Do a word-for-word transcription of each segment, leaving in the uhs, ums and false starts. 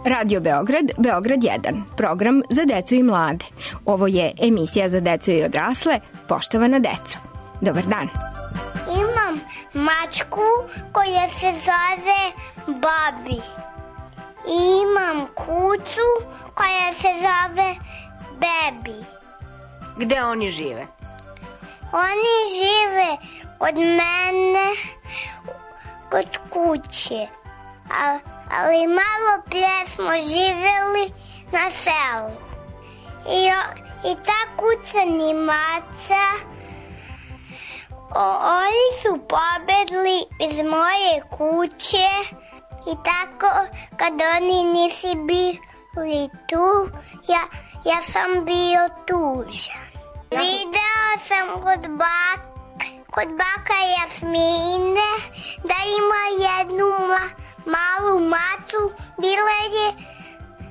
Radio Beograd, Beograd jedan, program za decu i mlade. Ovo je emisija za decu i odrasle, poštovana deco. Dobar dan. Imam mačku koja se zove Babi. I imam kucu koja se zove Bebi. Gde oni žive? Oni žive od mene kod kuće. A, ali malo prije smo živjeli na selu. I, i ta kuća ni maca, o, oni su pobegli iz moje kuće i tako kad oni nisi bili tu, ja, ja sam bio tužan. Video sam kod baka. Kod baka Jasmine da ima jednu ma, malu macu, bila je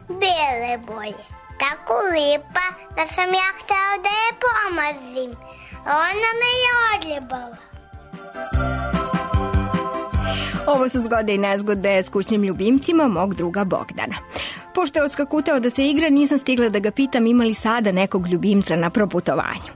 bele boje. Tako lijepa da sam ja htela da je pomazim. Ona me je odljubala. Ovo su zgode i nezgode s kućnim ljubimcima mog druga Bogdana. Pošto je odskakutao da se igra, nisam stigla da ga pitam ima li sada nekog ljubimca na proputovanju.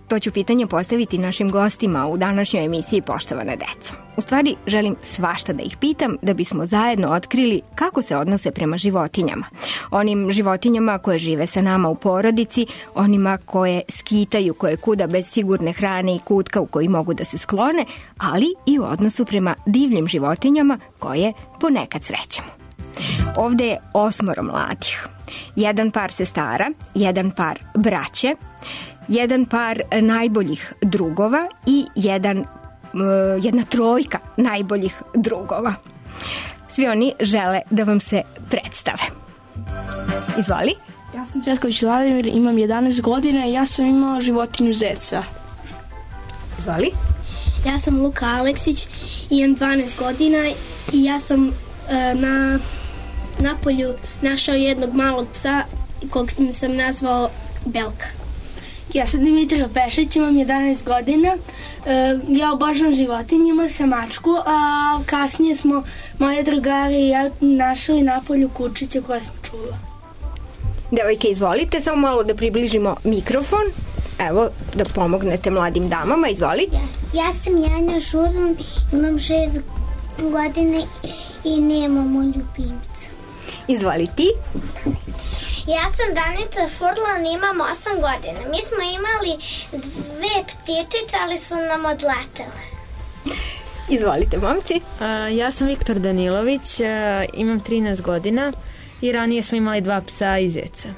To ću pitanje postaviti našim gostima u današnjoj emisiji Poštovana deco. U stvari, želim svašta da ih pitam da bismo zajedno otkrili kako se odnose prema životinjama. Onim životinjama koje žive sa nama u porodici, onima koje skitaju, koje kuda bez sigurne hrane i kutka u koji mogu da se sklone, ali i u odnosu prema divljim životinjama koje ponekad srećemo. Ovde je osmoro mladih. Jedan par sestara, jedan par braće, jedan par najboljih drugova i jedan, jedna trojka najboljih drugova. Svi oni žele da vam se predstave. Izvoli. Ja sam Cvetković Vladimir, imam jedanaest godina i ja sam imao životinju zeca. Izvoli. Ja sam Luka Aleksić, imam dvanaest godina i ja sam uh, na napolju našao jednog malog psa kog sam nazvao Belka. Ja sam Dimitra Pešić, imam jedanaest godina. Ja obožavam životinje, imam sam mačku, a kasnije smo moje drugari i ja našli napolju kučiće koje smo čula. Devojke, izvolite, samo malo da približimo mikrofon. Evo, da pomognete mladim damama, izvoli. Ja, ja sam Janja Šurlan, imam šest godina i nemamo ljubimca. Izvoli ti. Ja sam Danica Furlan, imam osam godina. Mi smo imali dve ptičice, ali su nam odletele. Izvolite, momci. Uh, ja sam Viktor Danilović, uh, imam trinaest godina i ranije smo imali dva psa i zeca.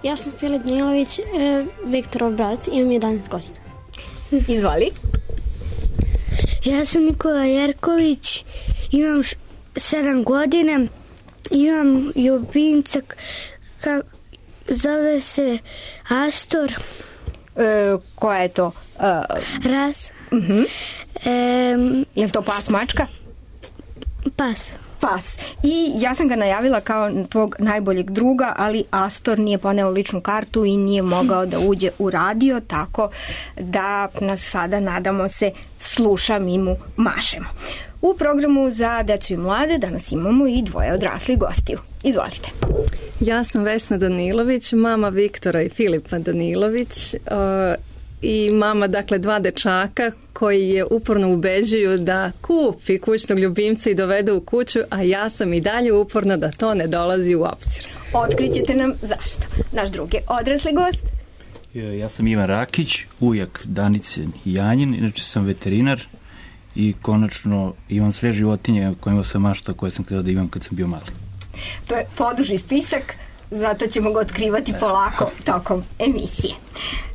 Ja sam Filip Danilović, uh, Viktorov brat, imam jedanaest godina. Izvoli. Ja sam Nikola Jerković, imam sedam godina, imam ljubimca, ka, zove se Astor. E, koja je to? E, Ras. Uh-huh. E, je li to pas mačka? Pas. Pas. I ja sam ga najavila kao tvog najboljeg druga, ali Astor nije poneo ličnu kartu i nije mogao da uđe u radio, tako da nas sada, nadamo se, sluša, mi mu mašemo. U programu za decu i mlade danas imamo i dvoje odraslih gostiju. Izvolite. Ja sam Vesna Danilović, mama Viktora i Filipa Danilović uh, i mama, dakle, dva dečaka koji je uporno ubeđuju da kupi kućnog ljubimca i dovede u kuću, a ja sam i dalje uporna da to ne dolazi u obzir. Otkrićete nam zašto. Naš drugi odrasli gost. Ja sam Ivan Rakić, ujak Danice i Janjin, inače sam veterinar i konačno imam sve životinje kojima sam maštao, koje sam htio da imam kad sam bio mali. To je poduži spisak, zato ćemo ga otkrivati polako tokom emisije.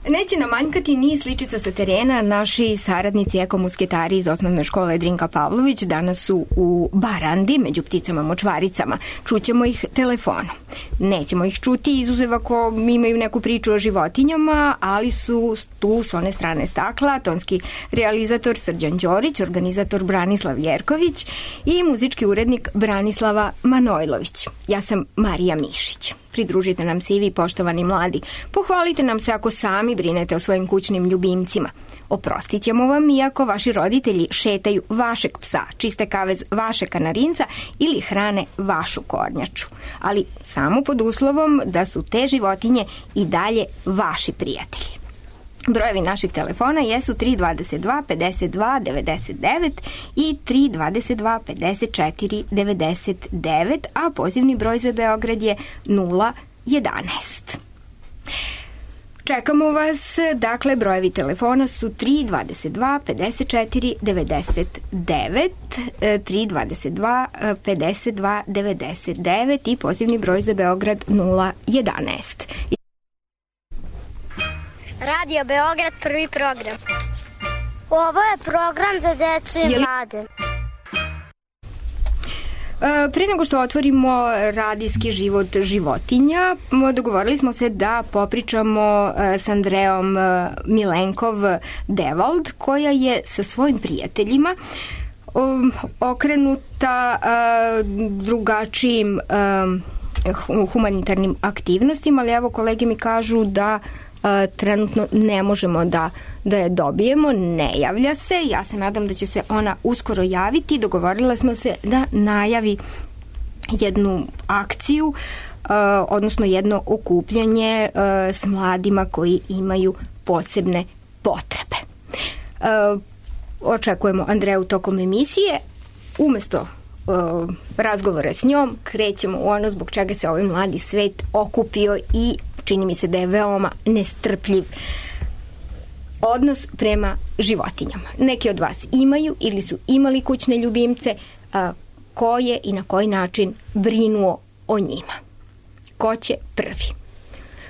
Neće nam manjkati ni sličica sa terena. Naši saradnici ekomusketari iz osnovne škole Drinka Pavlović danas su u Barandi među pticama močvaricama. Čućemo ih telefonom. Nećemo ih čuti izuzev ako imaju neku priču o životinjama, ali su tu s one strane stakla tonski realizator Srđan Đorić, organizator Branislav Jerković i muzički urednik Branislava Manojlović. Ja sam Marija Mišić. Pridružite nam se i vi, poštovani mladi. Pohvalite nam se ako sami brinete o svojim kućnim ljubimcima. Oprostit ćemo vam iako vaši roditelji šetaju vašeg psa, čiste kavez vaše kanarinca ili hrane vašu kornjaču. Ali samo pod uslovom da su te životinje i dalje vaši prijatelji. Brojevi naših telefona jesu tri dvadeset dva pedeset dva devedeset devet i tri dvadeset dva pedeset četiri devedeset devet, a pozivni broj za Beograd je nula jedanaest. Čekamo vas, dakle, brojevi telefona su tri dvadeset dva pedeset četiri devedeset devet, tri dvadeset dva pedeset dva devedeset devet i pozivni broj za Beograd nula jedanaest. Radio Beograd, prvi program. Ovo je program za decu i mlade. Pre nego što otvorimo radijski život životinja, dogovorili smo se da popričamo s Andreom Milenkov-Devald, koja je sa svojim prijateljima okrenuta drugačijim humanitarnim aktivnostima, ali evo kolege mi kažu da trenutno ne možemo da, da je dobijemo, ne javlja se. Ja se nadam da će se ona uskoro javiti. Dogovorila smo se da najavi jednu akciju, uh, odnosno jedno okupljanje uh, s mladima koji imaju posebne potrebe. Uh, očekujemo Andreju tokom emisije. Umesto uh, razgovora s njom krećemo u ono zbog čega se ovaj mladi svet okupio i čini mi se da je veoma nestrpljiv odnos prema životinjama. Neki od vas imaju ili su imali kućne ljubimce, a, koje i na koji način brinuo o njima. Ko će prvi?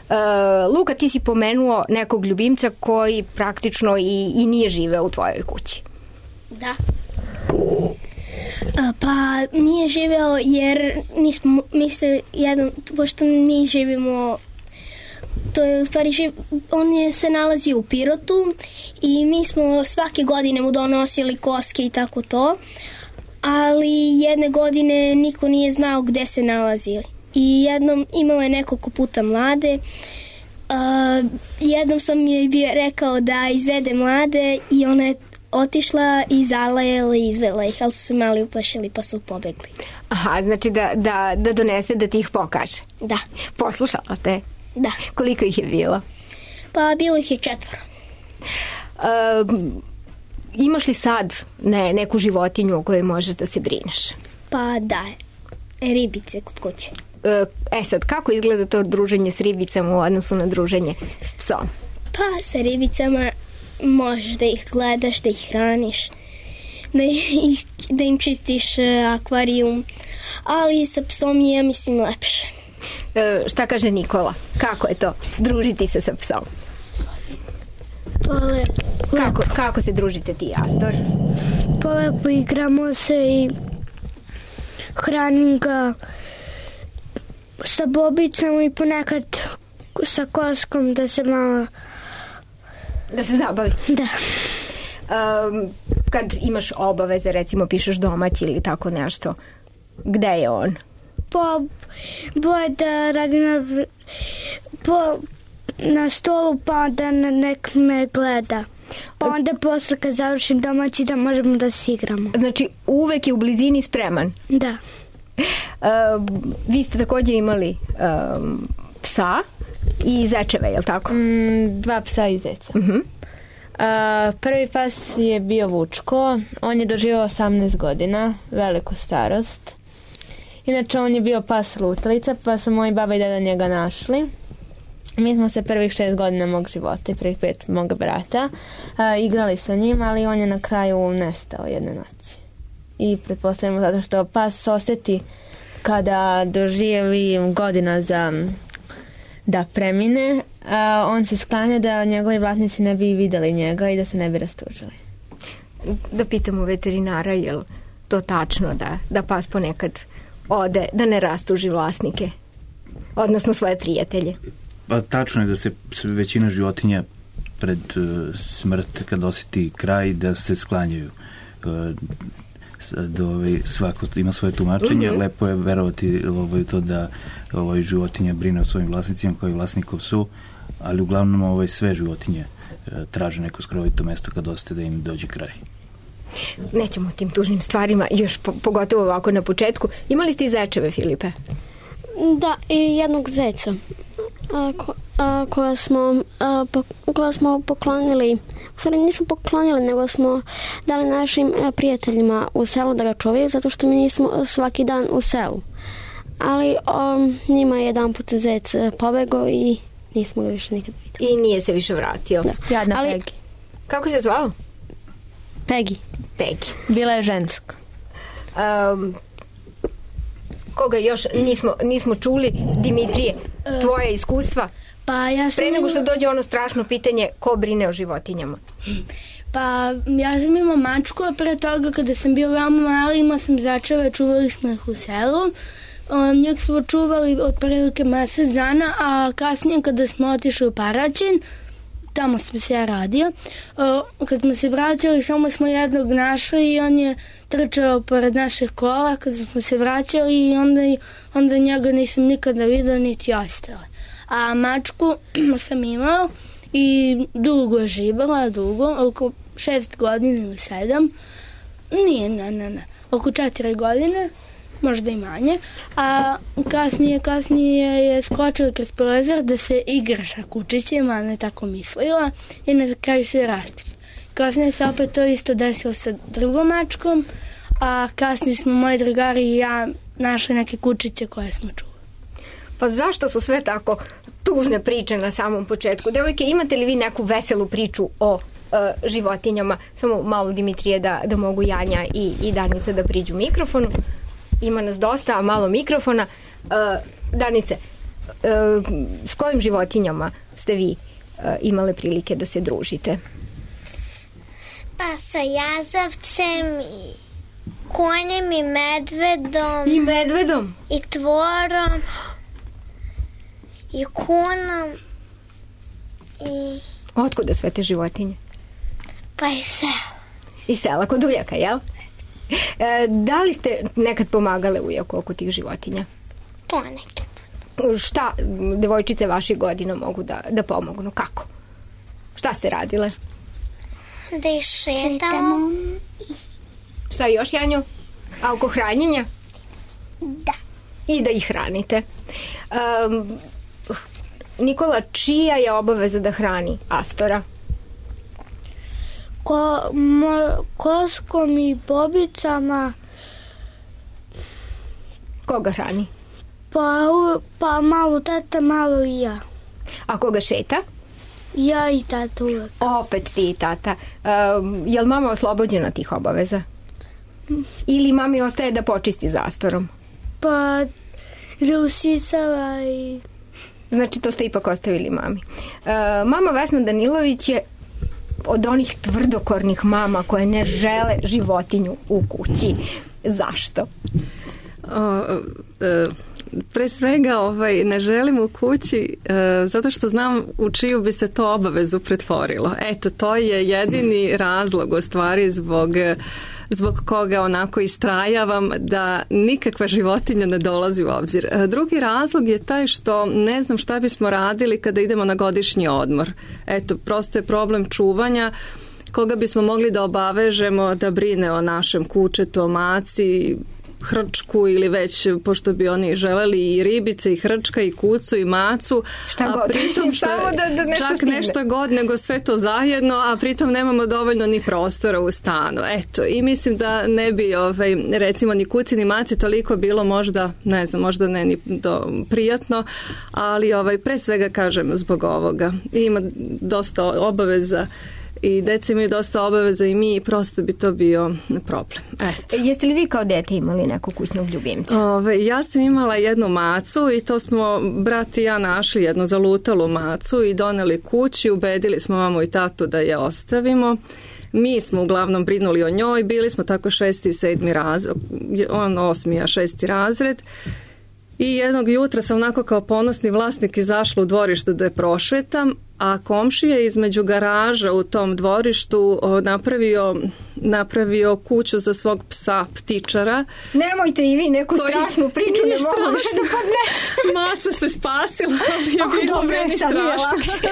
A, Luka, ti si pomenuo nekog ljubimca koji praktično i, i nije živeo u tvojoj kući. Da. A, pa nije živeo jer nismo, mi se jedan, pošto mi živimo, to je u stvari živ, on je se nalazi u Pirotu i mi smo svake godine mu donosili koske i tako to, ali jedne godine niko nije znao gde se nalazi i jednom imala je nekoliko puta mlade. Uh, jednom sam joj bio rekao da izvede mlade i ona je otišla i zalajala i izvela ih, ali su se mali uplašili pa su pobegli. Aha, znači da, da, da donese da ti ih pokaže. Da. Poslušala te? Da. Koliko ih je bilo? Pa bilo ih je četvoro. Uh, imaš li sad ne, neku životinju o kojoj možeš da se brineš? Pa da, ribice kod kuće. E sad, kako izgleda to druženje s ribicama u odnosu na druženje s psom? Pa sa ribicama možeš da ih gledaš, da ih hraniš, da, ih, da im čistiš akvarijum, ali sa psom je, ja mislim, lepše. E, šta kaže Nikola? Kako je to družiti se sa psom? Pa lepo. Kako, kako se družite ti, Astor? Pa lepo, igramo se i hranim ga sa bobicama i ponekad sa koskom da se malo... Da se zabavi? Da. Um, kad imaš obaveze, recimo pišeš domać ili tako nešto, gde je on? Pa, boje da radi na, po, na stolu pa da nek me gleda. Pa onda posle kad završim domaći da možemo da se igramo. Znači uvek je u blizini spreman? Da. Um, vi ste također imali um, psa i zečeve, je li tako? Mm, dva psa i zeca. Uh-huh. Uh, prvi pas je bio Vučko. On je doživao osamnaest godina, veliku starost. Inače, on je bio pas lutalica, pa su moji baba i deda njega našli. Mi smo se prvih šest godina mog života i prvih pet moga brata uh, igrali sa njim, ali on je na kraju nestao jedne noći. I pretpostavljamo zato što pas osjeti kada doživi godina za da premine, a on se sklanja da njegovi vlasnici ne bi videli njega i da se ne bi rastužili. Da pitamo veterinara, je li to tačno da, da pas ponekad ode, da ne rastuži vlasnike, odnosno svoje prijatelje? Pa tačno je da se većina životinja pred uh, smrt, kad osjeti kraj, da se sklanjaju. Uh, da ovaj, svako ima svoje tumačenje, mm-hmm. lepo je verovati ovaj, to da ovaj, životinja brine o svojim vlasnicima koji vlasnikov su, ali uglavnom ovaj, sve životinje traže neko skrovito mesto kad ostaje da im dođe kraj. Nećemo o tim tužnim stvarima, još po, pogotovo ovako na početku. Imali ste i zečeve, Filipe? Da, i jednog zeca a, ko, a, koja, smo, a, po, koja smo poklonili, u stvari nismo poklonili, nego smo dali našim a, prijateljima u selu da ga čuvaju, zato što mi nismo svaki dan u selu. Ali a, njima je jedan put zec pobegao i nismo ga više nikad vidjeli. I nije se više vratio. Da. Jadna Ali, Pegi. Kako se zvao? Pegi. Pegi. Bila je ženska. Um, koga još nismo, nismo čuli? Dimitrije, tvoje iskustva? Pa ja sam... Pre nego što dođe ono strašno pitanje ko brine o životinjama? Pa ja sam imao mačku, a pre toga kada sam bio veoma mali imao sam začeve, čuvali smo ih u selu. Um, njeg smo čuvali od prilike mesec dana, a kasnije kada smo otišli u Paraćin, tamo smo se ja radio, uh, kad smo se vraćali samo smo jednog našli i on je trčao pored naših kola kada smo se vraćali i onda, onda njega nisam nikada vidio niti ostale. A mačku sam imao i dugo je živjela, dugo, oko šest godina ili sedam, nije, ne, ne, ne, oko četiri godine, možda i manje, a kasnije, kasnije je skočila kroz prozor da se igra sa kučićima, a ne tako mislila i na kraju se rastikla. Kasnije se opet to isto desilo sa drugom mačkom, a kasnije smo moji drugari i ja našli neke kučiće koje smo čuli. Pa zašto su sve tako tužne priče na samom početku? Devojke, imate li vi neku veselu priču o uh, životinjama? Samo malo, Dimitrije, da, da mogu Janja i, i Danica da priđu mikrofonu. Ima nas dosta, a malo mikrofona. Uh, Danice, uh, s kojim životinjama ste vi uh, imale prilike da se družite? Pa sa jazavcem i konjem i medvedom. I medvedom? I tvorom. I kunom. I... Otkuda sve te životinje? Pa i sela. I sela kod ujaka, jel? E, da li ste nekad pomagale ujaku oko tih životinja? Ponekad. Šta devojčice vaših godina mogu da, da pomognu? Kako? Šta ste radile? Da ih šetamo. Šta još, Janjo? A oko hranjenja? Da. I da ih hranite. Um, Nikola, čija je obaveza da hrani Astora? Ko, mo, koskom i bobicama. Koga hrani? Pa, pa malo tata, malo i ja. A koga šeta? Ja i tata uvek. Opet ti i tata. Um, je li mama oslobođena tih obaveza? Ili mami ostaje da počisti za Astorom? Pa da usisava i... Znači to ste ipak ostavili mami. Uh, mama Vesna Danilović je od onih tvrdokornih mama koje ne žele životinju u kući. Zašto? O, e, pre svega ovaj, ne želim u kući e, zato što znam u čiju bi se to obavezu pretvorilo. Eto, to je jedini razlog u stvari zbog, zbog koga onako istrajavam da nikakva životinja ne dolazi u obzir. E, drugi razlog je taj što ne znam šta bismo radili kada idemo na godišnji odmor. Eto, prosto je problem čuvanja koga bismo mogli da obavežemo da brine o našem kučetu, o maci, hrčku ili već, pošto bi oni želeli i ribice i hrčka i kucu i macu, šta a god. pritom što da, da nešto čak stigne. nešto god nego sve to zajedno, a pritom nemamo dovoljno ni prostora u stanu. Eto, i mislim da ne bi ovaj, recimo ni kuci ni maci toliko bilo možda, ne znam, možda ne ni do, prijatno, ali ovaj, pre svega kažem zbog ovoga. Ima dosta obaveza i deca imaju dosta obaveza i mi, prosto bi to bio problem. Eto. Jeste li vi kao dete imali nekog kućnog ljubimca? Ove, ja sam imala jednu macu i to smo brat i ja našli jednu zalutalu macu i doneli kući, ubedili smo mamu i tatu da je ostavimo. Mi smo uglavnom brinuli o njoj, bili smo tako šesti i sedmi razred, on osmi, a šesti razred. I jednog jutra sam onako kao ponosni vlasnik izašla u dvorište da je prošetam, a komšija između garaža u tom dvorištu napravio napravio kuću za svog psa ptičara. Nemojte i vi neku strašnu priču, ne mogu više da podnesem. Maca se spasila, ali je oh, bilo dobre, meni strašno.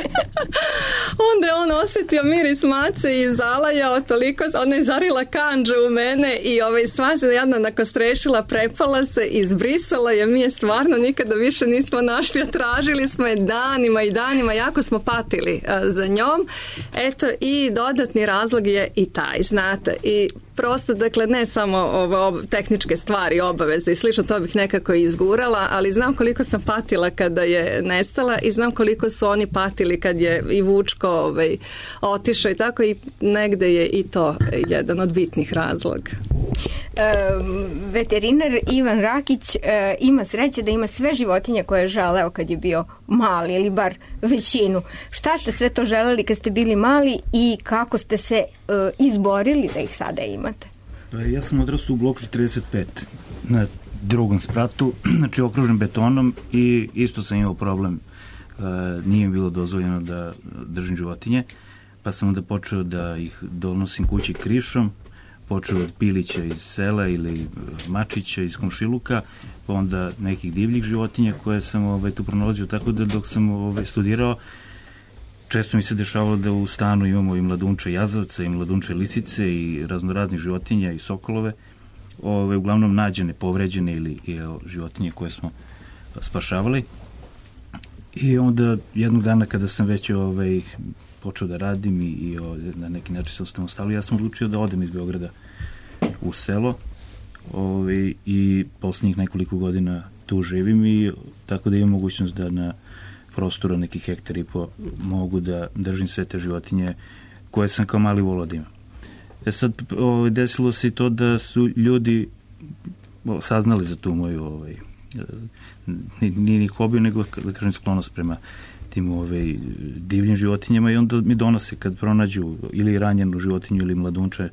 Onda je on osjetio miris mace i zalajao toliko, ona je zarila kanđe u mene i ovaj, sva se jedna nakostrešila, prepala se, izbrisala je, mi je stvarno nikada više nismo našli, a tražili smo je danima i danima, jako smo patili a, za njom. Eto, i dodatni razlog je i taj, znate, i prosto, dakle, ne samo ovo, tehničke stvari, obaveze i slično, to bih nekako izgurala, ali znam koliko sam patila kada je nestala i znam koliko su oni patili kad je i Vučko ovaj, otišao i tako, i negde je i to jedan od bitnih razloga. E, veterinar Ivan Rakić e, ima sreće da ima sve životinje koje je želeo kad je bio mali, ili bar većinu. Šta ste sve to želeli kad ste bili mali i kako ste se e, izborili da ih sada imate? Ja sam odrastao u bloku četrdeset pet na drugom spratu, znači okružen betonom, i isto sam imao problem, e, nije mi bilo dozvoljeno da držim životinje, pa sam onda počeo da ih donosim kući krišom, počeo od pilića iz sela ili mačića iz komšiluka, pa onda nekih divljih životinja koje sam ovaj, tu pronalazio, tako da dok sam ovaj, studirao, često mi se dešavalo da u stanu imamo i mladunče jazavca, i mladunče lisice, i raznoraznih životinja, i sokolove, ove, uglavnom nađene, povređene ili i, životinje koje smo spašavali. I onda jednog dana kada sam već ovaj, počeo da radim i, i ovaj, na neki način se ostavio, ja sam odlučio da odem iz Beograda u selo, ovaj, i posljednjih nekoliko godina tu živim, i tako da imam mogućnost da na prostoru nekih hektara i po mogu da držim sve te životinje koje sam kao mali volao da imam. E sad, ovaj, desilo se i to da su ljudi saznali za tu moju ovaj, nije ni hobiju, nego da kažem sklonost prema tim ovaj, divljim životinjama, i onda mi donose kad pronađu ili ranjenu životinju ili mladunče,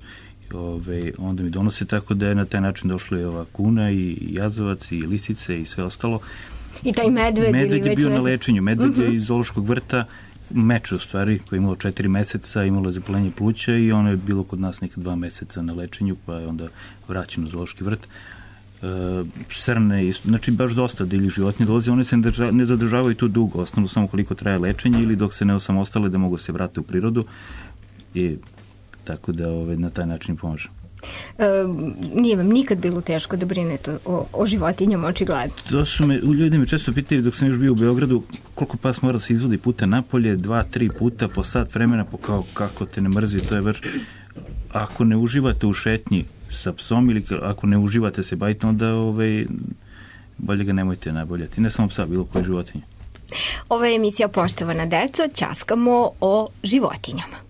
ovaj, onda mi donose, tako da je na taj način došla i ova kuna i jazavac i lisice i sve ostalo. I taj medved, medved ili je bio već na lečenju, medved uh-huh. je iz zoološkog vrta, meče u stvari, koji je imalo četiri meseca, imalo je zapaljenje pluća i ono je bilo kod nas neka dva meseca na lečenju, pa je onda vraćeno u zoološki vrt. E, srne, isto, znači baš dosta divljih životinja dolaze, one se ne zadržavaju tu dugo, osnovno samo koliko traje lečenje ili dok se ne osamostale da mogu se vratiti u prirodu, i tako da ove, na taj način pomažem. E, nije vam nikad bilo teško da brinete o, o životinjama, očigledno? To su me, ljudi me često pitali dok sam još bio u Beogradu, koliko pas mora se izvodi puta napolje, dva, tri puta po sat vremena, po kao kako te ne mrzi, to je baš, ako ne uživate u šetnji sa psom ili ako ne uživate se baviti, onda ovaj, bolje ga nemojte naboljati, ne samo psa, bilo koje životinje. Ova je emisija Poštovana deco, ćaskamo o životinjama.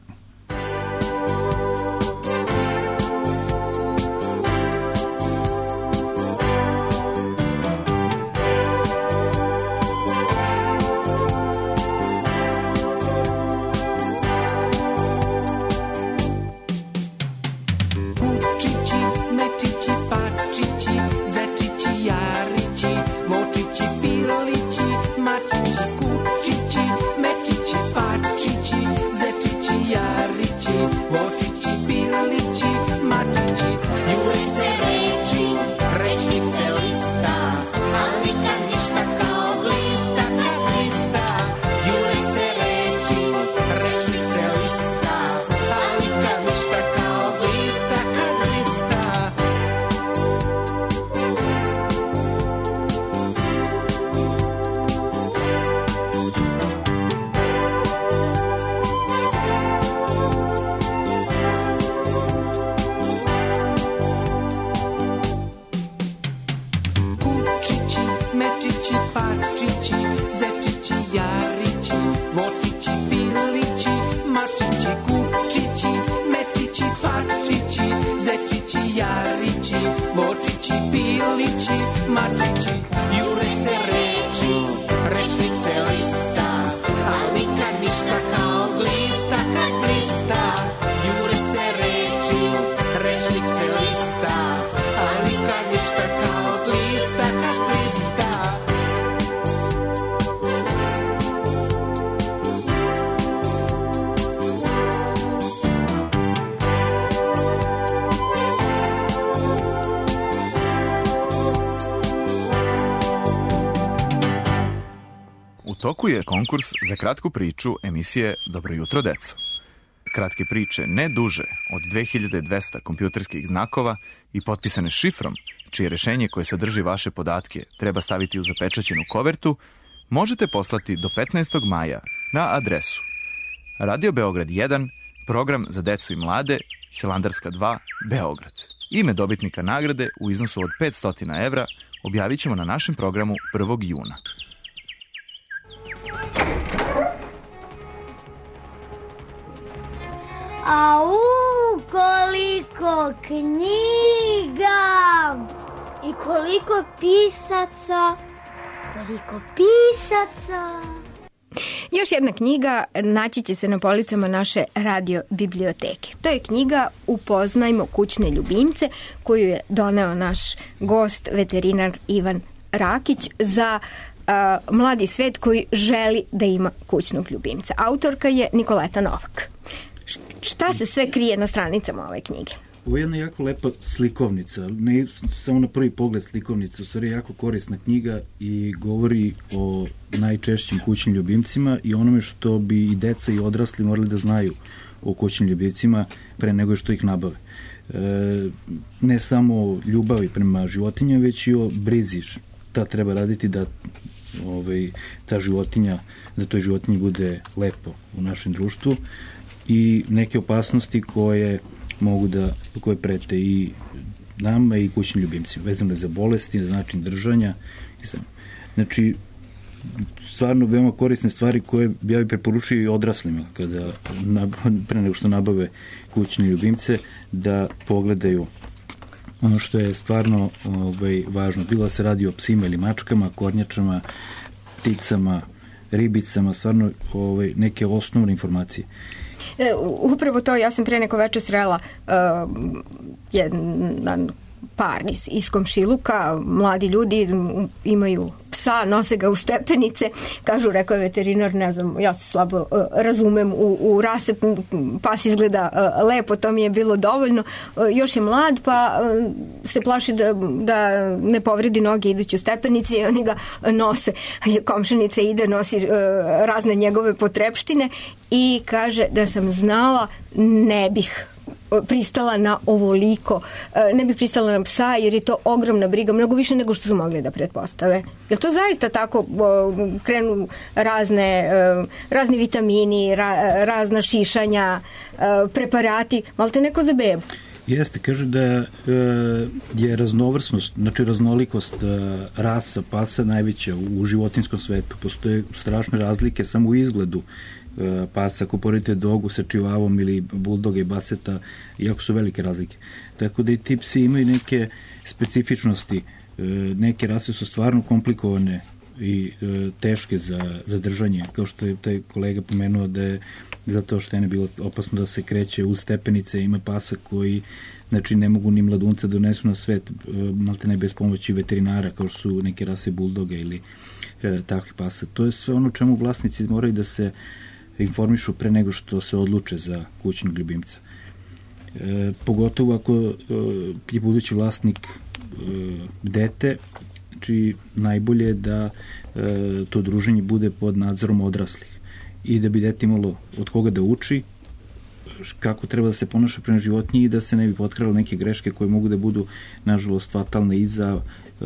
toku je konkurs za kratku priču emisije Dobro jutro, deco. Kratke priče ne duže od dve hiljade dvesta kompjuterskih znakova i potpisane šifrom, čije rešenje koje sadrži vaše podatke treba staviti u zapečaćenu kovertu, možete poslati do petnaestog maja na adresu Radio Beograd jedan, program za decu i mlade, Hilandarska dva, Beograd. Ime dobitnika nagrade u iznosu od petsto evra objavit ćemo na našem programu prvog juna. Au, koliko knjiga! I koliko pisaca! Koliko pisaca! Još jedna knjiga naći će se na policama naše radio biblioteke. To je knjiga Upoznajmo kućne ljubimce, koju je doneo naš gost, veterinar Ivan Rakić, za a, mladi svet koji želi da ima kućnog ljubimca. Autorka je Nikoleta Novak. Šta se sve krije na stranicama ove knjige? Ovo je jedna jako lepa slikovnica, ne samo na prvi pogled slikovnica, u stvari jako korisna knjiga i govori o najčešćim kućnim ljubimcima i onome što bi i deca i odrasli morali da znaju o kućnim ljubimcima pre nego što ih nabave. E, ne samo o ljubavi prema životinjama, već i o brizi šta treba raditi da ovaj, ta životinja, da toj životinji bude lepo u našem društvu i neke opasnosti koje mogu da, koje prete i nama i kućnim ljubimcima, vezano za bolesti, za način držanja. Znači, stvarno veoma korisne stvari koje ja bih preporučio i odraslima kada, pre nego što nabave kućne ljubimce, da pogledaju ono što je stvarno ovaj, važno. Bilo da se radi o psima ili mačkama, kornjačama, pticama, ribicama, stvarno ovaj, neke osnovne informacije. E, upravo to, ja sam pre neko veče srela uh, jedan par iz, iz komšiluka, mladi ljudi imaju psa, nose ga u stepenice, kažu, rekao je veterinar, ne znam, ja se slabo uh, razumem u, u rase, pas izgleda uh, lepo, to mi je bilo dovoljno, uh, još je mlad, pa uh, se plaši da, da ne povredi noge idući u stepenici i oni ga nose, komšenica ide, nosi uh, razne njegove potrepštine i kaže da sam znala, ne bih pristala na ovoliko, ne bih pristala na psa jer je to ogromna briga, mnogo više nego što su mogli da pretpostave. Je to zaista tako, krenu razne, razni vitamini, razna šišanja, preparati, malo te neko za bebu? Jeste, kaže da je raznovrsnost, znači raznolikost rasa pasa najveća u životinskom svetu. Postoje strašne razlike samo u izgledu pasa, ako poredite dogu sa čivavom ili buldoga i baseta, jako su velike razlike. Tako da i ti psi imaju neke specifičnosti, neke rase su stvarno komplikovane i teške za, za držanje, kao što je taj kolega pomenuo da je zato što je ne bilo opasno da se kreće uz stepenice, ima pasa koji znači ne mogu ni mladunca donesu na svet, malte ne bez pomoći veterinara, kao što su neke rase buldoga ili e, takvih pasa. To je sve ono čemu vlasnici moraju da se informišu pre nego što se odluče za kućnog ljubimca. E, pogotovo ako e, je budući vlasnik e, dete, znači najbolje je da e, to druženje bude pod nadzorom odraslih i da bi dete imalo od koga da uči, kako treba da se ponaša prema životinji i da se ne bi potkrale neke greške koje mogu da budu, nažalost, fatalne i za e,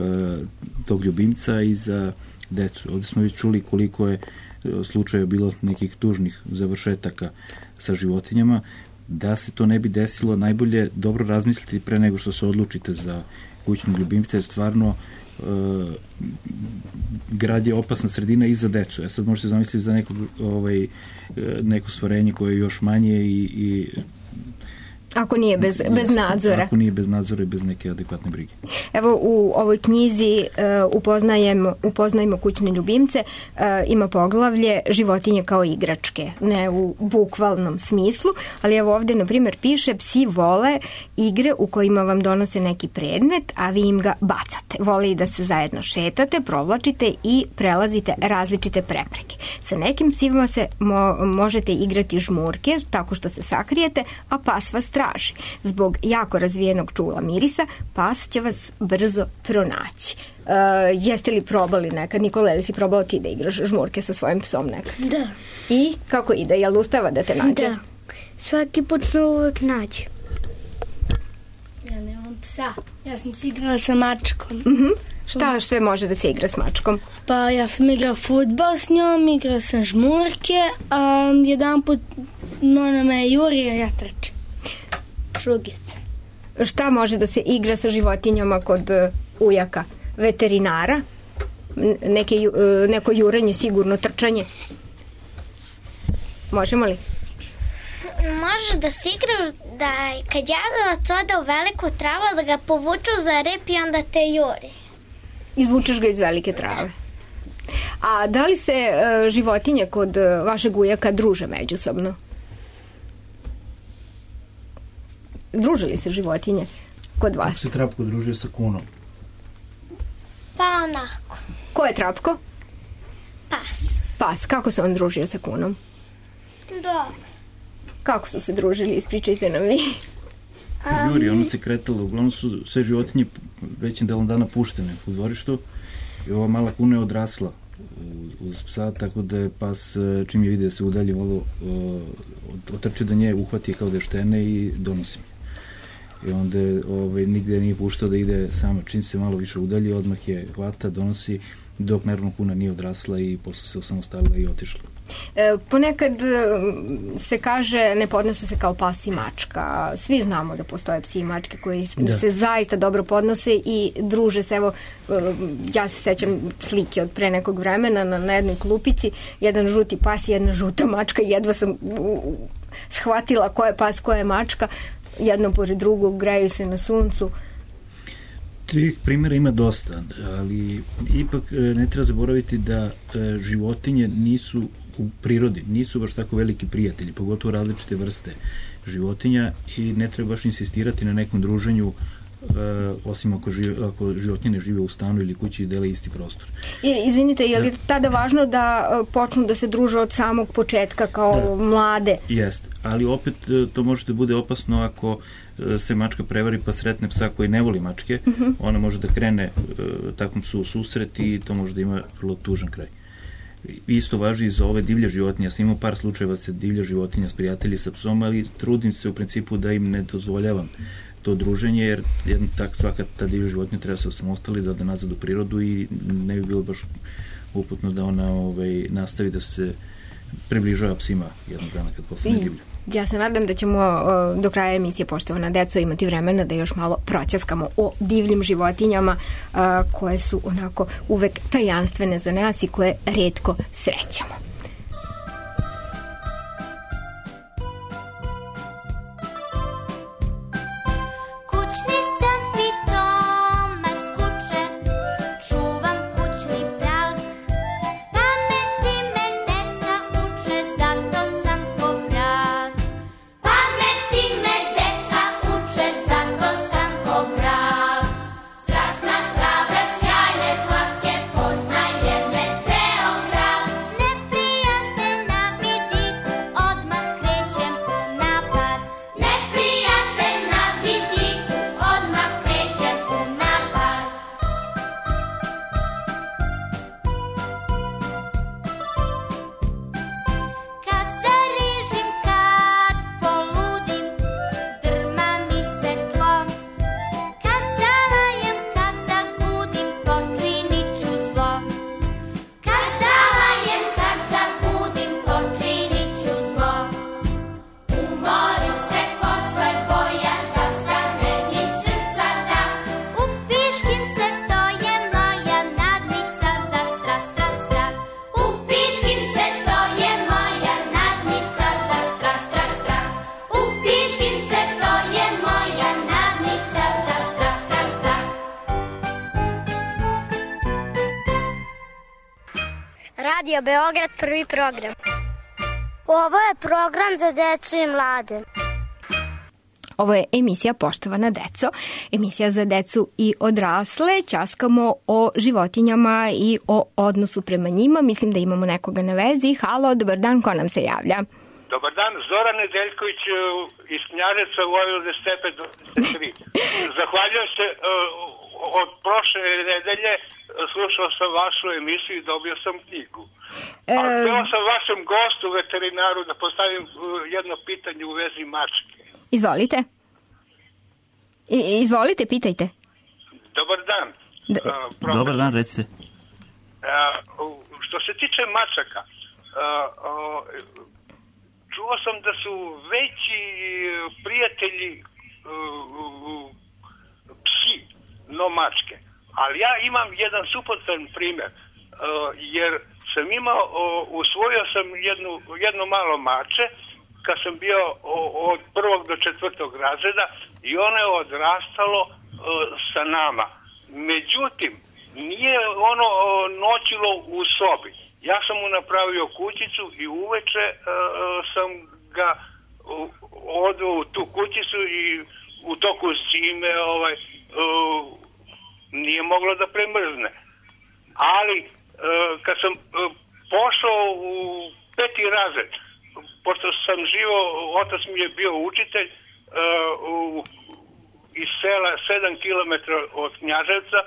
tog ljubimca i za decu. Ovdje smo već čuli koliko je slučaja bilo nekih tužnih završetaka sa životinjama. Da se to ne bi desilo, najbolje dobro razmisliti pre nego što se odlučite za kućnog ljubimca, jer stvarno e, grad je opasna sredina i za decu. Ja sad možete zamisliti za neko, ovaj, neko stvorenje koje je još manje i, i Ako nije bez, bez nadzora. Ako nije bez nadzora i bez neke adekvatne brige. Evo u ovoj knjizi uh, upoznajemo, upoznajemo kućne ljubimce, uh, ima poglavlje životinje kao igračke, ne u bukvalnom smislu, ali evo ovde na primjer piše psi vole igre u kojima vam donose neki predmet, a vi im ga bacate. Vole i da se zajedno šetate, provlačite i prelazite različite prepreke. Sa nekim psima se mo- možete igrati žmurke tako što se sakrijete, a pas vas traži. Zbog jako razvijenog čula mirisa, pas će vas brzo pronaći. jeste li probali nekad? Nikola, li si probao ti da igraš žmurke sa svojim psom nekad? Da. I kako ide? Jel uspeva da te nađe? Da. Svaki put me uvek nađe. Ja nemam psa. Ja sam se igrala sa mačkom. Mm-hmm. Šta sve može da se igra s mačkom? Pa ja sam igrao fudbal s njom, igrao sam žmurke, a jedan put ona me jurio, ja trčim. Šugica. Šta može da se igra sa životinjama kod uh, ujaka? Veterinara? Neke, uh, neko jurenje, sigurno trčanje? Možemo li? Može da se igra da kad jadavac ode u veliku travu da ga povuču za rep i onda te juri. Izvučeš ga iz velike trave. A da li se uh, životinje kod uh, vašeg ujaka druže međusobno? Druže li se životinje kod vas? Kako se Trapko družio sa Kunom? Pa onako. Ko je Trapko? Pas. Pas. Kako se on družio sa Kunom? Da. Kako su se družili? Ispričajte nam vi. Um, Juri, ono se kretalo. Uglavnom su sve životinje većim delom dana puštene u dvorištu i ova mala Kuna je odrasla uz psa, tako da je pas, čim je vidio da se udalje malo, otrče da nje, uhvati kao deštene i donosi mi. I onda ovaj, nigde nije puštao da ide sama. Čim se malo više udalje, odmah je hvata, donosi, dok naravno Kuna nije odrasla i posle se osamostalila i otišla. E, ponekad se kaže ne podnose se kao pas i mačka. Svi znamo da postoje psi i mačke koji da. se zaista dobro podnose i druže se. Evo, ja se sećam slike od pre nekog vremena na, na jednoj klupici, jedan žuti pas i jedna žuta mačka. Jedva sam shvatila ko je pas, ko je mačka. Jedno pored drugog, greju se na suncu. Tih primjera ima dosta, ali ipak ne treba zaboraviti da životinje nisu u prirodi, nisu baš tako veliki prijatelji, pogotovo različite vrste životinja i ne treba baš insistirati na nekom druženju osim ako, žive, ako životinje ne žive u stanu ili kući i dele isti prostor. I, izvinite, je li tada važno da počnu da se druže od samog početka kao da. mlade? Jeste, ali opet to može da bude opasno ako se mačka prevari pa sretne psa koji ne voli mačke, uh-huh. ona može da krene takvom psu u susret i to može da ima vrlo tužan kraj. Isto važi i za ove divlje životinje. Ja sam imao par slučajeva se divlja životinja s prijatelji sa psom, ali trudim se u principu da im ne dozvoljavam to druženje, jer jedna tak, svaka ta divlja životinja treba se osamostali da ode nazad u prirodu i ne bi bilo baš uputno da ona ovaj, nastavi da se približava psima jednog dana kad postane divlja. Ja se nadam da ćemo uh, do kraja emisije Poštovana deco imati vremena da još malo proćaskamo o divljim životinjama uh, koje su onako uvek tajanstvene za nas i koje retko srećemo. Radio Beograd, prvi program. Ovo je program za decu i mlade. Ovo je emisija Poštovana deco, emisija za decu i odrasle. Ćaskamo o životinjama i o odnosu prema njima. Mislim da imamo nekoga na vezi. Halo, dobar dan, ko nam se javlja? Dobar dan, Zoran Nedeljković iz Knjaževca, Vojvodine Stepe dvadeset tri. Zahvaljujem se uh, od prošle nedelje slušao sam vašu emisiju i dobio sam knjigu. E... A htio sam vašem gostu, veterinaru, da postavim jedno pitanje u vezi mačke. Izvolite. I, izvolite, pitajte. Dobar dan. D- uh, Dobar dan, recite. Uh, što se tiče mačaka, uh, uh, čuo sam da su veći prijatelji uh, psi, no mačke. Ali ja imam jedan suprotan primjer, uh, jer sam imao, uh, usvojio sam jednu, jedno malo mače kad sam bio uh, od prvog do četvrtog razreda i ono je odrastalo uh, sa nama. Međutim, nije ono uh, noćilo u sobi. Ja sam mu napravio kućicu i uveče uh, sam ga uh, odveo u tu kućicu i u toku zime ovaj, uh, nije moglo da premrzne. Ali uh, kad sam uh, pošao u peti razred, pošto sam živo, otac mi je bio učitelj uh, u, iz sela sedam kilometara od Knjaževca,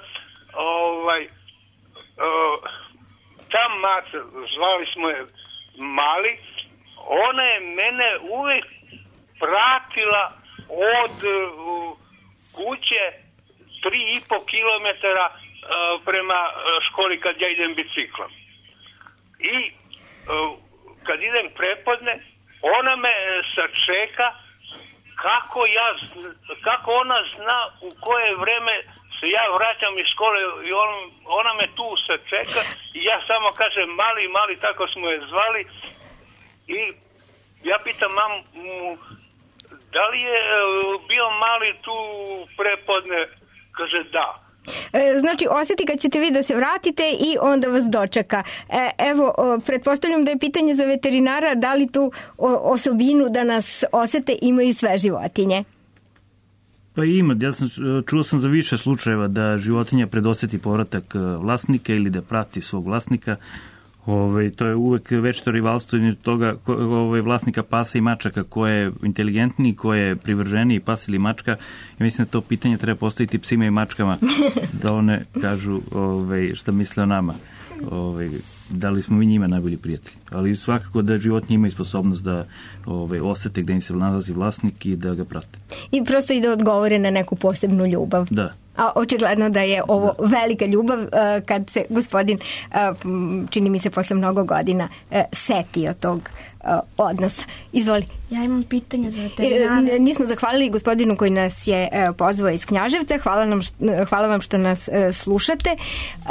ovaj, uh, ta maca, zvali smo je Mali, ona je mene uvijek pratila od uh, kuće tri i po kilometara uh, prema uh, školi kad ja idem biciklom. I uh, kad idem prepodne, ona me sačeka kako, ja, kako ona zna u koje vreme se ja vraćam iz škole i on, ona me tu sačeka i ja samo kažem Mali, Mali, tako smo je zvali i ja pitam mamu, da li je bio Mali tu prepodne? Kaže da. Znači, osjeti kad ćete vi da se vratite i onda vas dočeka. E, evo, pretpostavljam da je pitanje za veterinara, da li tu osobinu da nas osete imaju sve životinje? Pa ima, ja sam, čuo sam za više slučajeva da životinja predosjeti povratak vlasnika ili da prati svog vlasnika. Ove, to je uvek večito rivalstvo između toga ove, vlasnika pasa i mačaka, ko je inteligentniji, ko je privrženiji, pas ili mačka. I mislim da to pitanje treba postaviti psima i mačkama da one kažu ove, šta misle o nama. Ove, da li smo mi njima najbolji prijatelji. Ali svakako da životinje imaju sposobnost da ove, osete gde im se nalazi vlasnik i da ga prate. I prosto i da odgovore na neku posebnu ljubav. Da. A očigledno da je ovo da. velika ljubav uh, kad se gospodin, uh, čini mi se posle mnogo godina, uh, setio tog uh, odnosa. Izvoli. Ja imam pitanje za veterinare. E, nismo zahvalili gospodinu koji nas je uh, pozvao iz Knjaževca. Hvala, nam što, hvala vam što nas uh, slušate uh,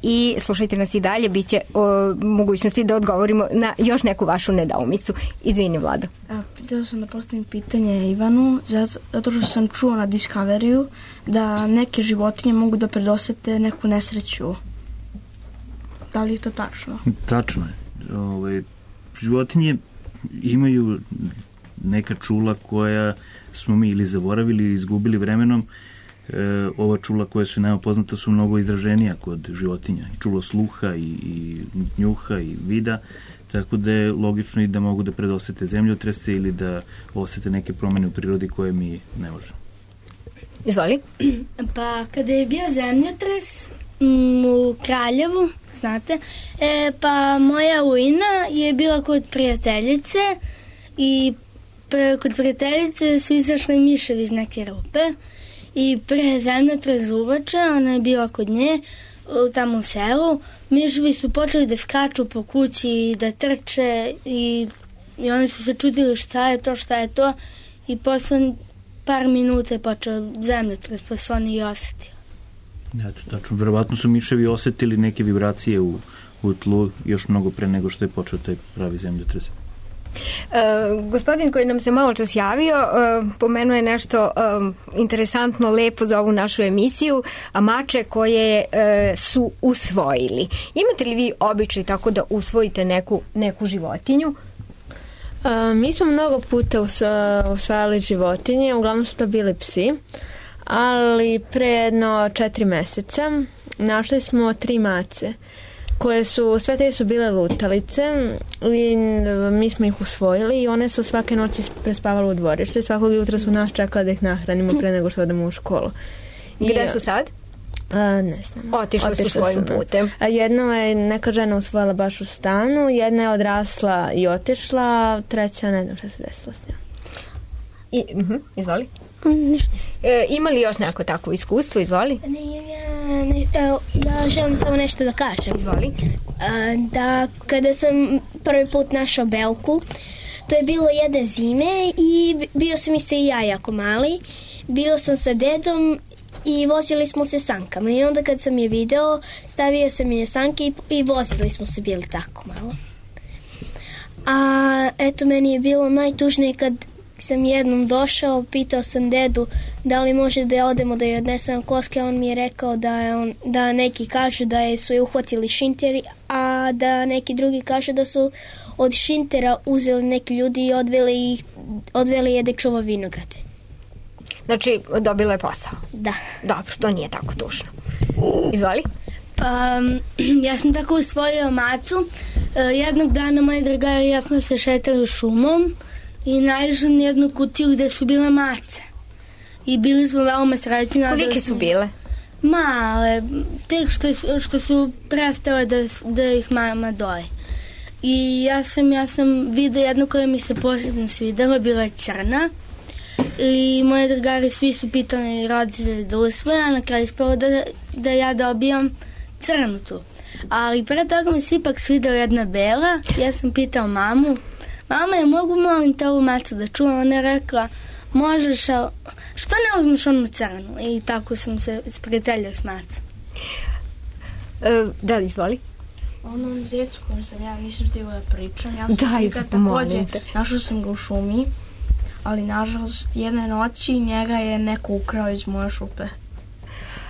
i slušajte nas i dalje. Biće uh, mogućnosti da odgovorimo na još neku vašu nedoumicu. Izvini, Vlado. Htio sam da postavim pitanje Ivanu, zato, zato što sam čuo na Discoveryu da neke životinje mogu da predosete neku nesreću. Da li je to tačno? Tačno je. Ove, životinje imaju neka čula koja smo mi ili zaboravili ili izgubili vremenom. E, ova čula koja su nama poznata su mnogo izraženija kod životinja. Čulo sluha i, i njuha i vida, tako da je logično i da mogu da predosete zemljotrese ili da osete neke promene u prirodi koje mi ne možemo. Izvoli. Pa kada je bio zemljotres m, u Kraljevu, znate, e, pa moja ujna je bila kod prijateljice i pre, kod prijateljice su izašle miševi iz neke rupe i pre zemljotres uveče, ona je bila kod nje tamo u selu, miševi su počeli da skaču po kući i da trče i, i oni su se čudili šta je to, šta je to i posle par minuta je počeo zemljotres, pa su oni i osetili. Eto, tačno, verovatno su miševi osetili neke vibracije u, u tlu još mnogo pre nego što je počeo taj pravi zemljotres. E, gospodin koji nam se malo čas javio e, pomenuo je nešto e, interesantno, lepo za ovu našu emisiju, a mače koje e, su usvojili. Imate li vi običaj tako da usvojite neku, neku životinju? E, mi smo mnogo puta usvajali životinje, uglavnom su to bili psi, ali pre jedno četiri meseca našli smo tri mace koje su, sve te su bile lutalice i mi smo ih usvojili i one su svake noći prespavale u dvorištu i svakog jutra su nas čekali da ih nahranimo pre nego što odemo u školu. I, gde su sad? A, ne znam. Otišle su svojim putem. A jedno je neka žena usvojila baš u stanu, jedna je odrasla i otišla, treća ne znam šta se desilo s njom. I, uh-huh, izvoli. Ništa. E, ima li još neko takvo iskustvo? Izvoli. Ne, ja, ne, ja želim samo nešto da kažem. Izvoli. Da kada sam prvi put našao belku, to je bilo jedne zime i bio sam isto i ja jako mali. Bio sam sa dedom i vozili smo se sankama i onda kad sam je video, stavio sam je sanke i, i vozili smo se bili tako malo. A eto, meni je bilo najtužnije kad sam jednom došao, pitao sam dedu da li može da odemo da je odnesem koske, on mi je rekao da, je on, da neki kažu da je, su je uhvatili šinteri, a da neki drugi kažu da su od šintera uzeli neki ljudi i odveli, ih, odveli je da čuva vinograde. Znači, dobila je posao? Da. Dobro, to nije tako tužno. Izvoli. Pa, ja sam tako usvojila macu. Jednog dana moji drugari i ja smo se šetali šumom i naišli na jednu kutiju gde su bile mace. I bili smo veoma srećni. Kolike su bile? Male, tek što, što su prestale da, da ih mama doje. I ja sam, ja sam vidio jednu koja mi se posebno svidela, bila je crna. I moji drugari svi su pitali roditelje da usvoje, a na kraju ispalo da, da ja dobijam crnu tu. Ali pre toga mi se ipak svidela jedna bela. Ja sam pitao mamu, mama, je mogu molim te ovu macu da čuvam? Ona je rekla, možeš, a što ne uzmeš onu crnu? I tako sam se sprijateljila s macom. E, da li izvoli? Onom zecu kojem sam ja nisam stigla da pričam. Ja sam da, nikad takođe, našao sam ga u šumi, ali nažalost jedne noći njega je neko ukrao iz moje šupe.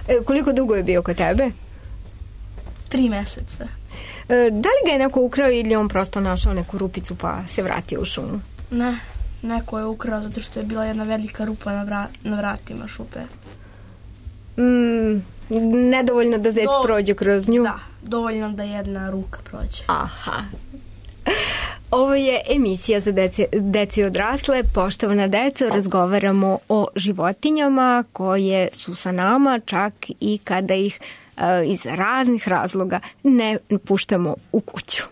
E, koliko dugo je bio kod tebe? Tri meseca. E, da li ga je neko ukrao ili on prosto našao neku rupicu pa se vratio u šumu? Ne, neko je ukrao zato što je bila jedna velika rupa na, vrat, na vratima šupe. Mm, nedovoljno da zec Do, prođe kroz nju? Da, dovoljno da jedna ruka prođe. Aha. Ovo je emisija za deci, deci odrasle. Poštovana deco, razgovaramo o životinjama koje su sa nama čak i kada ih uh, iz raznih razloga ne puštamo u kuću.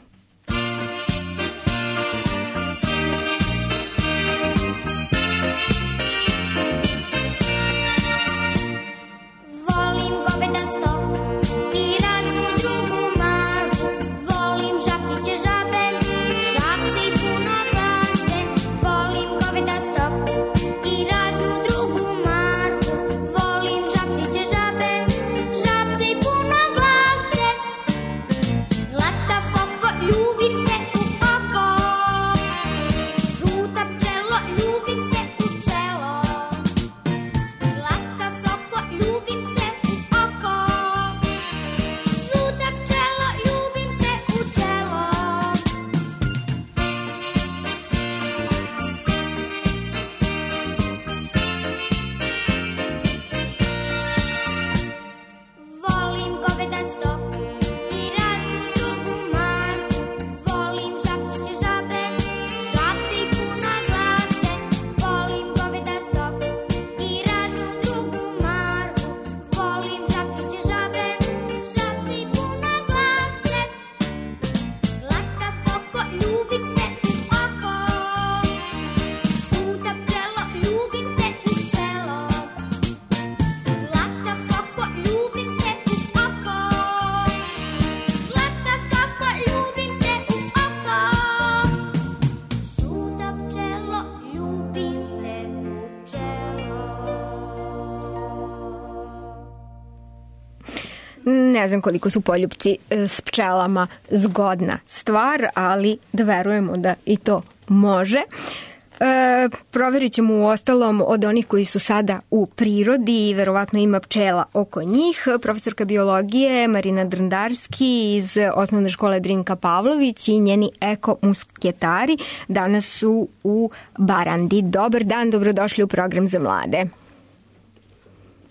Ne znam koliko su poljupci s pčelama zgodna stvar, ali da verujemo da i to može. E, provjerit ćemo u ostalom od onih koji su sada u prirodi i verovatno ima pčela oko njih. Profesorka biologije Marina Drndarski iz osnovne škole Drinka Pavlović i njeni eko-musketari danas su u Barandi. Dobar dan, dobrodošli u program za mlade.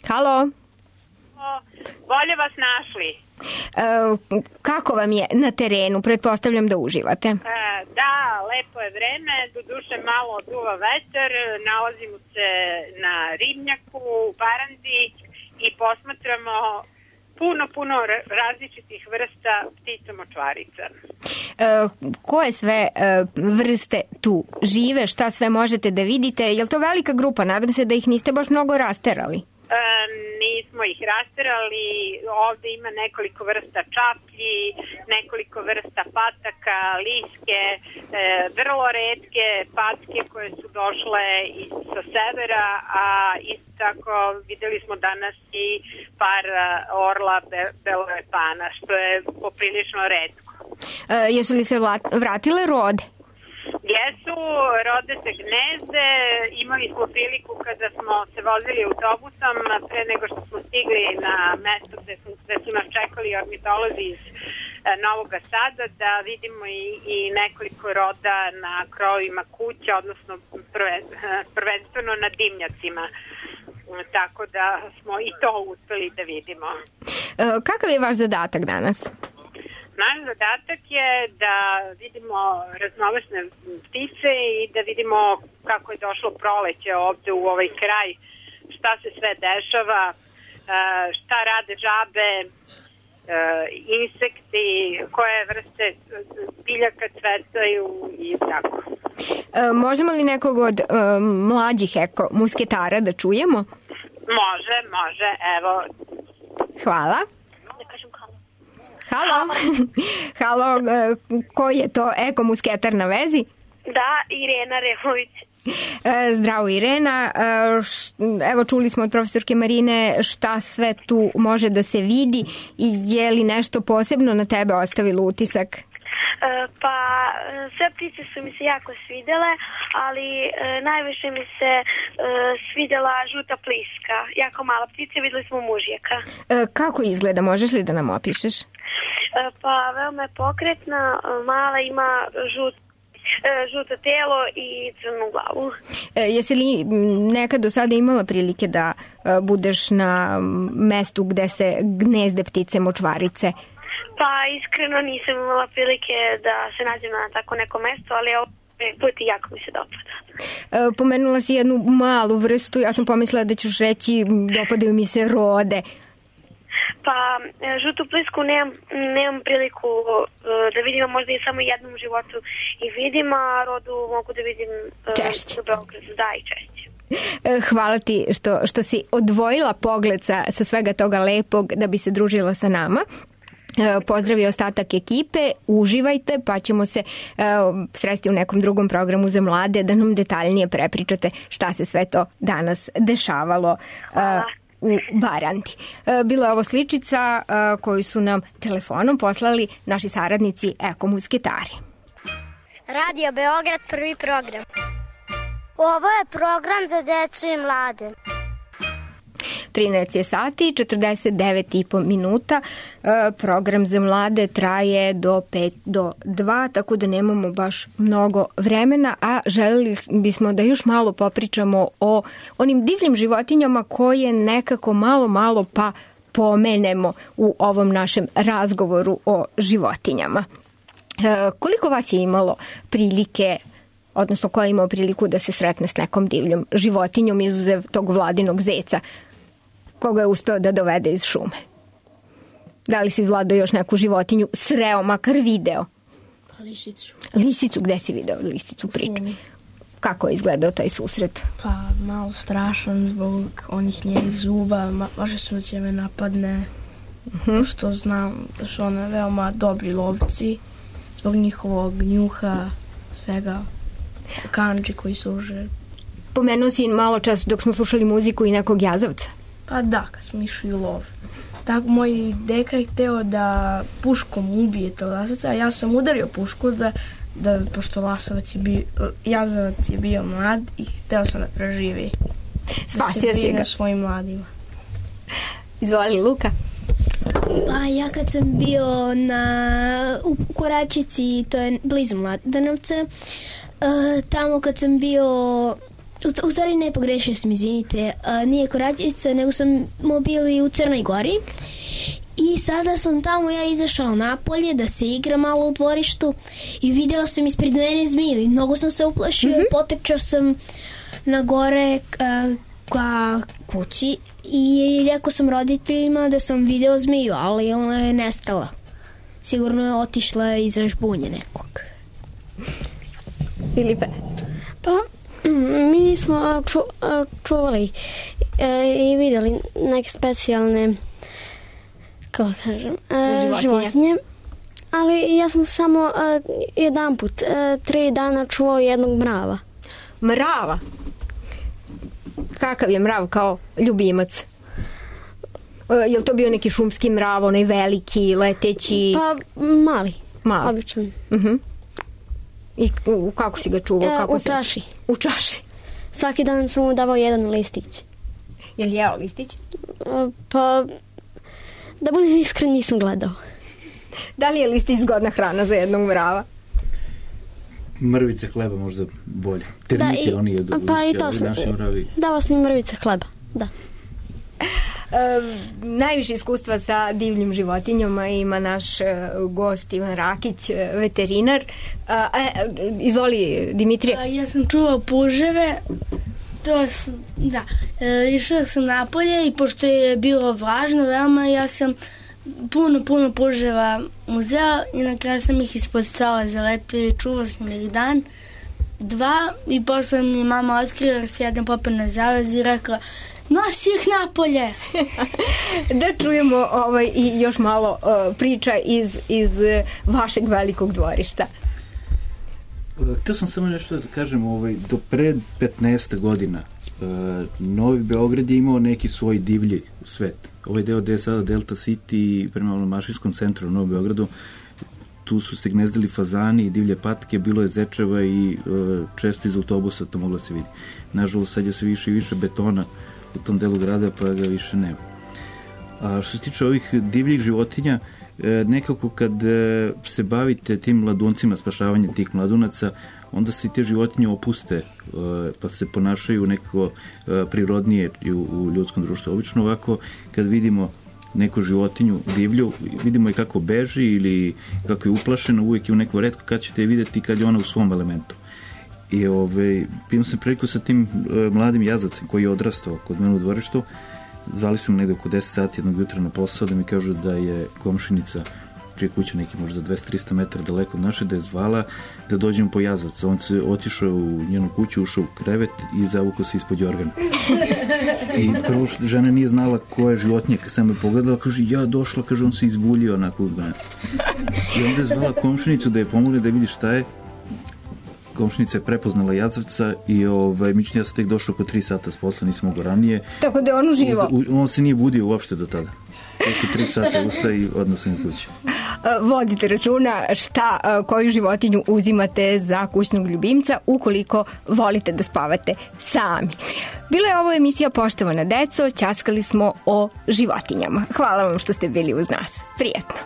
Halo? Bolje vas našli. E, kako vam je na terenu? Pretpostavljam da uživate. E, da, lepo je vreme, doduše malo duva vetar, nalazimo se na ribnjaku u Barandi i posmatramo puno, puno različitih vrsta ptica močvarica. E, koje sve e, vrste tu žive, šta sve možete da vidite? Je li to velika grupa? Nadam se da ih niste baš mnogo rasterali. E, nismo ih rasterali, ovde ima nekoliko vrsta čaplji, nekoliko vrsta pataka, liske, e, vrlo retke patke koje su došle iz, sa severa, a isto tako videli smo danas i par orla be, beloepana, što je poprilično retko. E, jesu li se vratile rode? Jesu, rode se gnezde, imali smo priliku kada smo se vozili autobusom pre nego što smo stigli na mesto gde su, gde su nas čekali ornitolozi iz e, Novog Sada, da vidimo i, i nekoliko roda na krovima kuća, odnosno prve, prvenstveno na dimnjacima. Tako da smo i to uspeli da vidimo. E, kakav je vaš zadatak danas? Naš zadatak je da vidimo raznovrsne ptice i da vidimo kako je došlo proleće ovde u ovaj kraj, šta se sve dešava, šta rade žabe, insekti, koje vrste biljaka cvetaju i tako. Možemo li nekog od mlađih eko musketara da čujemo? Može, može, evo. Hvala. Halo, halo, ko je to eko musketar na vezi? Da, Irena Remović. Zdravo Irena, evo čuli smo od profesorke Marine šta sve tu može da se vidi i je li nešto posebno na tebe ostavilo utisak? Pa sve ptice su mi se jako svidele, ali najviše mi se svidela žuta pliska, jako mala ptica, videli smo mužjaka. Kako izgleda, možeš li da nam opišeš? Pa veoma je pokretna, mala, ima žut, žuto telo i crnu glavu. E, jesi li nekad do sada imala prilike da budeš na mestu gde se gnezde ptice močvarice? Pa iskreno nisam imala prilike da se nađem na tako neko mesto, ali ovo put i jako mi se dopada. E, pomenula si jednu malu vrstu, ja sam pomislila da ćeš reći dopadaju mi se rode. Pa žutu plisku nemam, nemam priliku da vidim, možda i samo jednom u životu i vidim, a rodu mogu da vidim češće. U Beogradu, da, i češće. Hvala ti što, što si odvojila pogled sa, sa svega toga lepog da bi se družila sa nama. Pozdravi ostatak ekipe, uživajte, pa ćemo se uh, sresti u nekom drugom programu za mlade da nam detaljnije prepričate šta se sve to danas dešavalo uh, u Baranti. Uh, bila je ovo sličica uh, koju su nam telefonom poslali naši saradnici Eko Musketari. Radio Beograd, prvi program. Ovo je program za decu i mlade. trinaest je sati, četrdeset devet i po minuta. E, program za mlade traje do pet do dva, tako da nemamo baš mnogo vremena, a želeli bismo da još malo popričamo o onim divnim životinjama koje nekako malo, malo pa pomenemo u ovom našem razgovoru o životinjama. E, koliko vas je imalo prilike, odnosno ko je imao priliku da se sretne s nekom divljom životinjom izuzev tog Vladinog zeca koga je uspeo da dovede iz šume? Da li si, Vlado, još neku životinju sreo, makar video? Pa lisicu. Lisicu, gde si video lisicu priču? Kako je izgledao taj susret? Pa malo strašan zbog onih njenih zuba, može se da će me napadne, uh-huh. Što znam da su one veoma dobri lovci, zbog njihovog njuha, svega, kanđi koji služe. Pomenuo si malo čas dok smo slušali muziku i nekog jazavca. Pa da, kad smo išli u lov. Tako moj deka je hteo da puškom ubije tog lasavca, a ja sam udario pušku da, da pošto lasavac je bio, jazavac je bio mlad i hteo sam da preživi. Spasio si ga. Svojim mladima. Izvoli, Luka. Pa ja kad sam bio na, u Koračici, to je blizu Mladenovca, uh, tamo kad sam bio... U, u stvari ne pogrešio sam, izvinite, uh, nije Koračica, nego smo bili u Crnoj Gori i sada sam tamo ja izašao napolje da se igra malo u dvorištu i video sam ispred mene zmiju i mnogo sam se uplašio, mm-hmm. Potrčao sam na gore uh, ka kući i rekao sam roditeljima da sam video zmiju, ali ona je nestala. Sigurno je otišla iza žbunje nekog. Filipe? Pa, mi smo ču, čuvali e, i videli neke specijalne, kako kažem, e, životinje. životinje. Ali ja sam samo e, jedan put, e, tri dana čuvao jednog mrava. Mrava? Kakav je mrav kao ljubimac? E, je li to bio neki šumski mrav, onaj veliki, leteći? Pa, mali. Mali? Običan. Uh-huh. I kako si ga čuvao? E, kako u se... čaši. U čaši? Svaki dan sam mu davao jedan listić. Je li jeo listić? E, pa, da budem iskren, nisam gledao. Da li je listić zgodna hrana za jednog mrava? Mrvice hleba možda bolje. Termite da, oni jedu. Pa i to sam. Dao sam mi mrvice hleba, da. E, najviše iskustva sa divljim životinjama ima naš e, gost Ivan Rakić, e, veterinar. A, e, izvoli, Dimitrije. A, ja sam čuvao puževe. To su, da. E, išao sam napolje i pošto je bilo vlažno veoma, ja sam puno, puno puževa uzeo i na kraju sam ih ispod stola zalepio i čuvao sam ih dan, dva i posle mi mama otkrila jer se jedan popeo na zavez i rekla nosi ih napolje. Da čujemo ovaj, i još malo uh, priča iz, iz vašeg velikog dvorišta. Htio sam samo nešto da kažem, ovaj, do pred petnaest godina uh, Novi Beograd je imao neki svoj divlji svet. Ovaj deo gde je sada Delta City prema onom mašinskom centru u Novom Beogradu, tu su se gnezdili fazani i divlje patke, bilo je zečeva i uh, često iz autobusa to moglo se vidi. Nažalost, sad je sve više i više betona u tom delu grada, pa ga više nema. A što se tiče ovih divljih životinja, nekako kad se bavite tim mladuncima, spašavanjem tih mladunaca, onda se i te životinje opuste, pa se ponašaju nekako prirodnije u ljudskom društvu. Obično ovako, kad vidimo neku životinju divlju, vidimo i kako beži ili kako je uplašena, uvijek je u neku retko kad ćete je vidjeti kad je ona u svom elementu. I ovaj, imam se priliku sa tim mladim jazacem koji je odrastao kod mene u dvorištu. Zvali su me negde oko deset sati jednog jutra na posao da mi kažu da je komšinica prije kuće neki možda dvesta do trista metara daleko od naše, da je zvala da dođemo po jazaca. On se otišao u njenu kuću, ušao u krevet i zavukao se ispod jorgana. I prvo što žena nije znala ko je životinja, kad sam me pogledala, kaže ja došla, kaže on se izbuljio onako od mene. I onda je zvala komšinicu da je pomogne da vidi šta je. Komšinica je prepoznala jazavca i ovaj, mični ja sam tek došao oko tri sata s posla, nisam mogo ranije. Tako da je on uživo? On se nije budio uopšte do tada. Oko tri sata ustaje i odnos sam u kući. Vodite računa šta, koju životinju uzimate za kućnog ljubimca ukoliko volite da spavate sami. Bila je ovo emisija Poštovana deco, ćaskali smo o životinjama. Hvala vam što ste bili uz nas. Prijetno.